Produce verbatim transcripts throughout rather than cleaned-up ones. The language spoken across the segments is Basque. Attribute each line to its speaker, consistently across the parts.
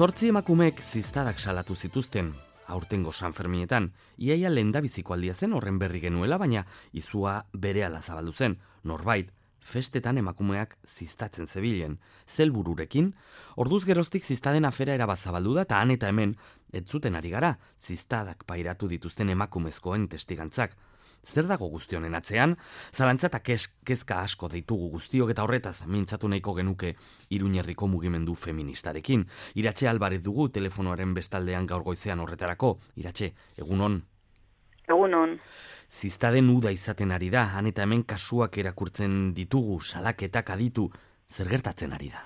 Speaker 1: Zortzi emakumeek ziztadak salatu zituzten, aurtengo San Ferminetan, iaia lehendabiziko aldia zen horren berri genuela, baina izua berehala zabaldu zen, norbait, festetan emakumeak ziztatzen zebilen, zelbururekin, orduz geroztik ziztaden afera erabat zabaldu da, eta han eta hemen, ez zuten ari gara, ziztadak pairatu dituzten emakumezkoen testigantzak. Zer dago guzti honen atzean? Zalantza eta kezka asko deitugu guztiok eta horretaz mintzatu nahiko genuke Iruñerriko mugimendu feministarekin. Iratxe Albarez dugu telefonoaren bestaldean gaur goizean horretarako. Iratxe, egunon?
Speaker 2: Egunon.
Speaker 1: Ziztaden uda izaten ari da, han eta hemen kasuak erakurtzen ditugu, salaketak aditu, zer gertatzen ari da?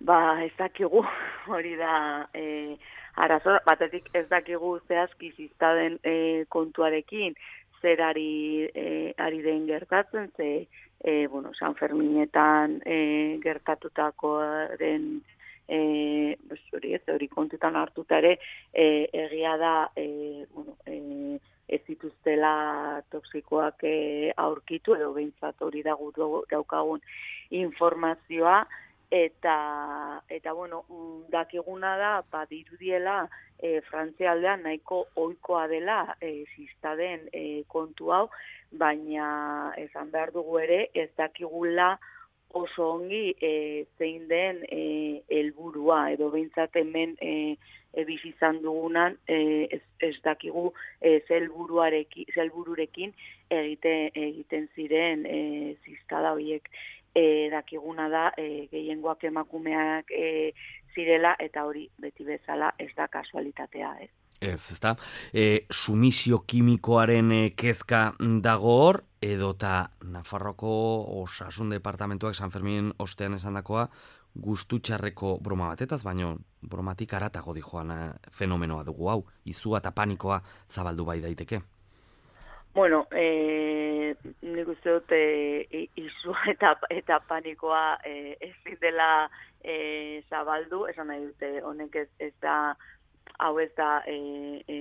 Speaker 2: Ba, ez dakigu, hori da... E... Arazo, batetik ez dakigu zehazki ziztaden e, kontuarekin zer ari, e, ari den gertatzen, ze e, bueno, San Ferminetan e, gertatutakoaren e, hori ez, hori kontutan hartuta ere e, egia da e, bueno, e, ez dituztela toksikoak e, aurkitu, edo behintzat hori da gu daukagun informazioa. Eta, eta bueno, dakiguna da, badirudiela, e, Frantzia aldean nahiko ohikoa dela e, ziztaden e, kontu hau, baina esan behar dugu ere, ez dakigula oso ongi e, zein den e, helburua, edo behintzat hemen e, e, bizi izan dugunan, e, ez, ez dakigu e, zelbururekin egite, egiten ziren e, ziztada horiek. E, dakiguna da, e, gehiengoak emakumeak e, zirela, eta hori beti bezala ez da kasualitatea, ez.
Speaker 1: Ez, ez da. E, sumisio kimikoaren e, kezka dago hor, edota Nafarroko Osasun Departamentuak San Fermin ostean esandakoa gustu txarreko broma batetaz, baino bromatik aratago dijoan fenomenoa dugu hau, izua eta panikoa zabaldu bai daiteke.
Speaker 2: Bueno, eh, nik uste dut e, izua eta, eta panikoa e, ezin dela e, zabaldu, esan nahi dute, honek ez, ez da, hau ez da e, e,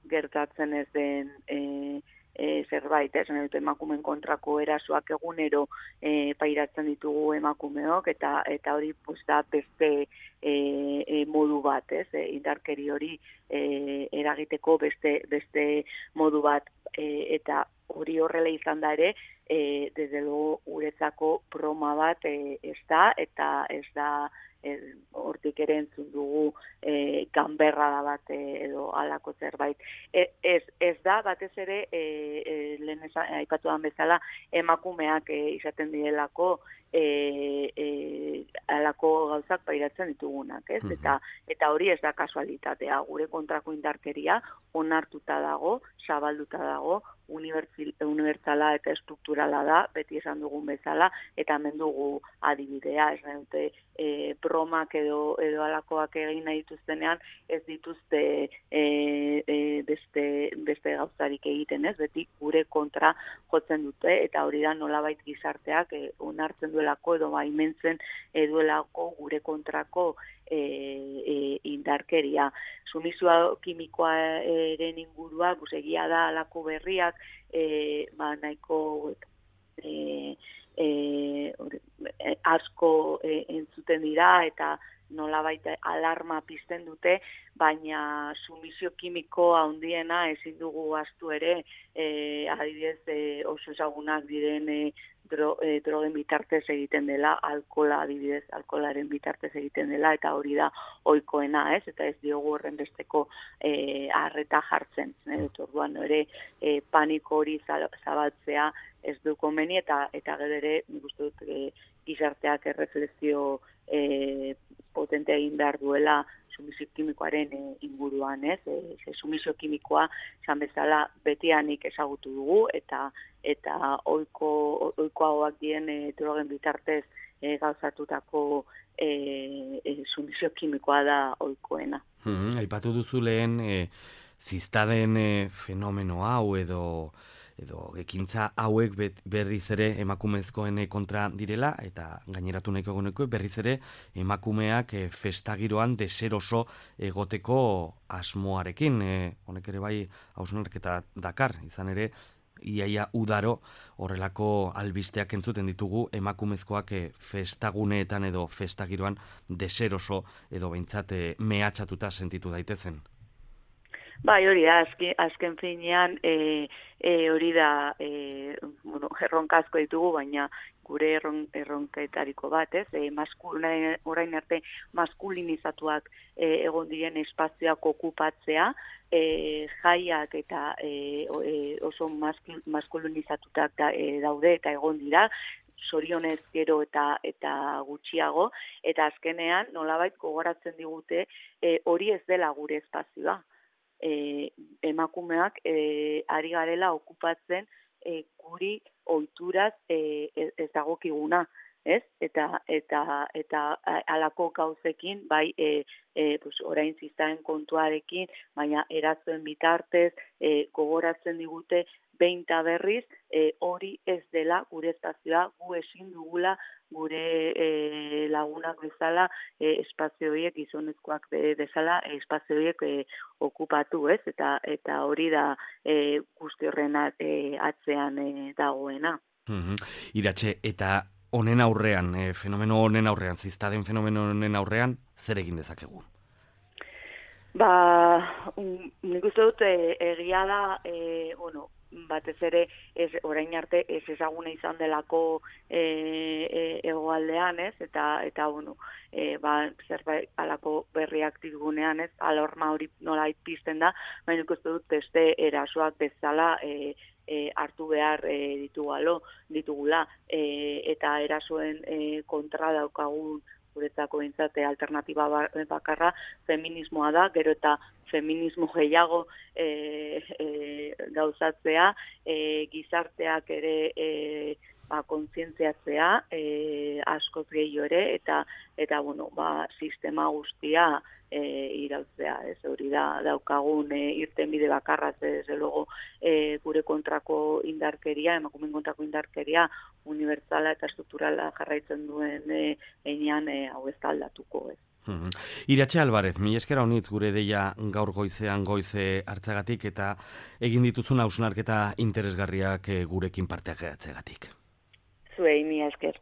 Speaker 2: gertatzen ez den e, e, zerbait, esan nahi dute, emakumeen kontrako erasoak egunero e, pairatzen ditugu emakumeok, eta eta hori pues, da beste e, e, modu bat, ez, e, indarkeri hori e, eragiteko beste, beste modu bat. E, eta hori horrela izan da ere, e, desde luego uretzako broma bat e, ez da, eta ez da e, hortik ere entzun dugu e, ganberra da bat e, edo halako zerbait. E, ez, ez da, batez ere, e, e, lehen aipatu dan bezala, emakumeak e, izaten direlako E, e, alako gauzak pairatzen ditugunak, ez? Eta, eta hori ez da kasualitatea, gure kontrako indarkeria onartuta dago, zabalduta dago, unibertsala eta estrukturala da, beti esan dugun bezala, eta hemen dugu adibidea, ez dute e, bromak edo, edo alakoak egin nahi dituztenean, ez dituzte e, e, beste, beste gauzarik egiten, ez? Beti gure kontra jotzen dute, eta hori da nolabait gizarteak e, onartzen duelako edo baimentzen duelako gure kontrako e, e, indarkeria. Sumizioa kimikoaren ingurua, egia da alako berriak, e, ba, nahiko e, e, asko e, entzuten dira, eta nolabait alarma pizten dute, baina sumizio kimiko handiena ezin dugu ahaztu ere, e, adibidez e, oso ezagunak diren e, dro, e, drogen bitartez egiten dela, alkola adibidez, alkolaren bitartez egiten dela, eta hori da ohikoena, ez? Eta ez diogu horren besteko e, arreta jartzen. E, orduan ere e, paniko hori zabaltzea ez du komeni, eta, eta gero ere, nik uste dut, e, gizarteak erreflexio e, potentea egin behar duela sumizio kimikoaren e, inguruan, ez? E, e, sumizio kimikoa, esan bezala, betianik ezagutu dugu, eta eta ohiko ohikoagoak dien e, drogen bitartez e, gauzatutako e, e, sumizio kimikoa da ohikoena.
Speaker 1: Hmm, aipatu duzu lehen e, ziztaden e, fenomeno hau edo edo ekintza hauek berriz ere emakumezkoen kontra direla, eta gaineratu nahiko goneko berriz ere emakumeak e, festagiroan deseroso egoteko asmoarekin. E, honek ere bai hausnarketa dakar, izan ere iaia udaro horrelako albisteak entzuten ditugu emakumezkoak e, festaguneetan edo festagiroan deseroso edo behintzat e, mehatxatuta sentitu daitezen.
Speaker 2: Bai, hori da, azken, azken finean e, e, hori da e, bueno, erronkazko ditugu, baina gure erron, erronketariko bat, ez? E, maskul, orain arte maskulinizatuak e, egon diren espazioak okupatzea, e, jaiak eta e, oso maskul, maskulinizatutak da, e, daude eta egon dira, sorionez gero eta eta gutxiago, eta azkenean nolabait gogoratzen digute e, hori ez dela gure espazioa. E, emakumeak e, ari garela okupatzen e, guri ohituraz e, ez dagokiguna, ez? Eta eta eta halako gauzekin bai e, e, pues orain zizaren kontuarekin, baina erazoen bitartez e, gogoratzen digute behin ta berriz e, hori ez dela gure espazioa, gu ezin dugula gure e, lagunak bezala e, espazio horiek gizonezkoak bezala e, espazio horiek e, okupatu, ez? Eta eta hori da e, guzti horren e, atzean e, dagoena.
Speaker 1: Mm-hmm. Iratxe, eta honen aurrean, e, fenomeno honen aurrean, ziztaden fenomeno honen aurrean, zer egin dezakegu?
Speaker 2: Ba, um, nik uste dut e, egia da, e, bueno, batez ere ez, orain arte ez ezaguna izan delako e, e, egoaldean, ez? Eta, eta bueno, e, ba, zerbait alako berriak digunean, ez? Alorma hori nola pizten da, baina nik uste dut beste erasoak bezala e, e, hartu behar e, ditugalo, ditugula, e, eta erasoen e, kontra daukagun guretzako bintzate alternatiba bakarra feminismoa da, gero eta feminismo gehiago e, e, gauzatzea, e, gizarteak ere e, ba, kontzientziatzea e, askoz gehiago ere, eta, eta bueno, ba, sistema guztia e, irautzea, ez hori da daukagun e, irtenbide bakarra, ez luego e, gure kontrako indarkeria, emakumeen kontrako indarkeria unibertsala eta estrukturala jarraitzen duen e, einean e, hau ez da aldatuko, ez.
Speaker 1: Mm-hmm. Iratxe Alvarez, mi eskera honitz gure deia gaur goizean goize hartzagatik eta egin dituzun hausnarketa interesgarriak gurekin parteak gehatzegatik.
Speaker 2: Zuei, mi esker.